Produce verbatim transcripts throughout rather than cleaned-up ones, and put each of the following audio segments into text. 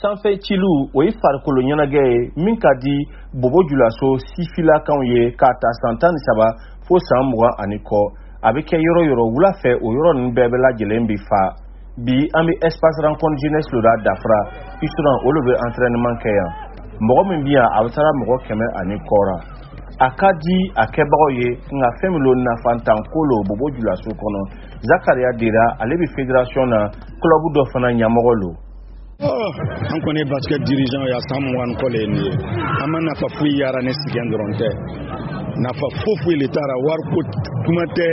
Sanfɛ ciliw, o ye farikolo ɲɛnajɛ ye min ka di Bobo Julaso sifilakanw ye k'a ta san tan ni saba fo san mugan ani kɔ. A bɛ kɛ yɔrɔ yɔrɔ wula fɛ, o yɔrɔ ninnu bɛɛ bɛ lajɛlen bi fa. Bi, an bɛ Espace Rencontre Jeunesse lo la Dafra Isuran. Olu bɛ entraînement kɛ yan. Mɔgɔ min bɛ yan, a bɛ taara mɔgɔ kɛmɛ ani kɔ ra. A ka di a kɛbagaw ye, nka fɛn min lo, nafantan ko lo Bobo Julaso kɔnɔ. Zakariya Dera, ale bɛ fédération na, club dɔ fana ɲɛmɔgɔ lo. An kɔni ye basket dirigeant ye a san mugan ni kɔ le ye nin ye. An ma nafa foyi yara ni sɛgɛn dɔrɔn tɛ, nafa foyi foyi le t'a ra. Wariko kuma tɛ,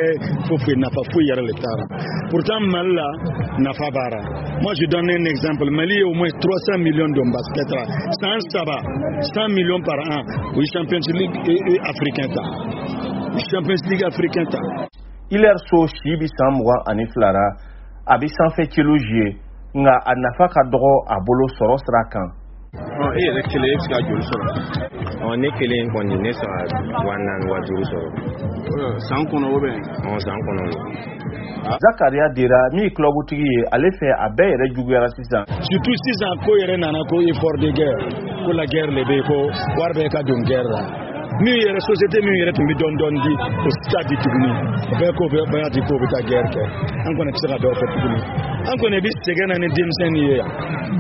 foyi foyi, nafa foyi yɛrɛ le t'a ra. Pourtant, Mali la, nafa b'a ra. Moi, je donne un exemple: Mali ye au moins trois cents millions don basket ra san saba, cent millions par an. O ye Champions League africain ta, Champions League africain ta. Hilaire So si bi san mugan ani fila ra. A bɛ sanfɛ celu jouer, nka a nafa ka dɔgɔ a bolo sɔrɔ sira kan. E yɛrɛ kelen, e bɛ se ka joli sɔrɔ? Ɔ, ne kelen kɔni, ne sɔrɔ wa naani, wa duuru sɔrɔ. San kɔnɔ o bɛ? Ɔ, san kɔnɔ. Zakariya Dera, min ye kulɔbutigi ye, ale fɛ a bɛɛ yɛrɛ juguyara sisan. Surtout sisan, ko yɛrɛ nana ko effort de guerre, ko la guerre le bɛ yen, ko wari bɛɛ ka don guerre la. Min yɛrɛ, société min yɛrɛ tun bɛ dɔɔni dɔɔni di, o t'a di tuguni. O bɛɛ ko bɛɛ y'a di k'o bɛ taa guerre kɛ. An kɔni tɛ se ka dɔw fɔ tuguni. An kɔni bɛ sɛgɛn na ni denmisɛnnin ye yan,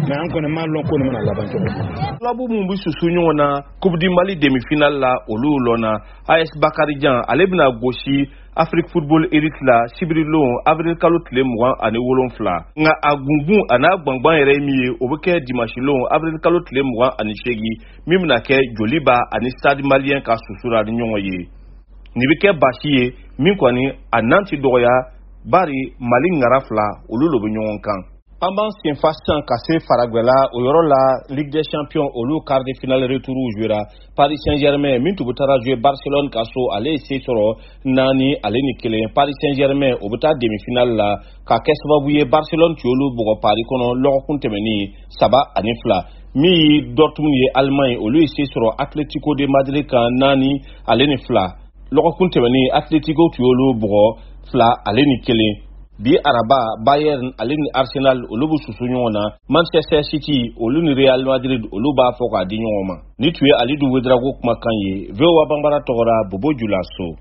mais an kɔni m'a lɔn ko nin bɛna laban cogo min. Club mun bɛ susu ɲɔgɔn na Coupe du Mali demi-finale la, olu lɔnna. A S Bakarijan, ale bɛna gosi Afrique Football Elite la sibirilon, avril kalo tile mugan ani wolonfila. Nka a gungun a n'a gbangban yɛrɛ ye min ye, o bɛ kɛ dimanche lon, avril kalo tile mugan ani seegin, min bɛna kɛ Joliba ani Stade Malien ka susura ni ɲɔgɔn ye. Nin bɛ kɛ basi ye min kɔni a nan ti dɔgɔya, bari Mali ŋara fila olu lo bɛ ɲɔgɔn kan. An b'an senfa sisan ka se faragwɛla. O yɔrɔ la, Ligue des Champions, olu quart de finale retour jouera. Paris Saint-Germain min tun bɛ taara jouer Barcelone ka so, ale ye se sɔrɔ naani ale ni kelen. Paris Saint-Germain, o bɛ taa demi finale la ka kɛ sababu ye Barcelone tun y'olu bugɔ Paris kɔnɔ lɔgɔkun tɛmɛnen saba ani fila. Min ye Dortmund ye Allemagne, olu ye se sɔrɔ Atletico de Madrid kan naani ale ni fila. Lɔgɔkun tɛmɛnen, Atletico tun y'olu bugɔ fila ale ni kelen. Bi araba, Bayern ale ni Arsenal, olu bɛ susu ɲɔgɔn na. Manchester City, olu ni Real Madrid, olu b'a fɔ k'a di ɲɔgɔn ma. Ni tun ye Alidu Wedrago kumakan ye V O A Banbara tɔgɔra Bobo Julaso.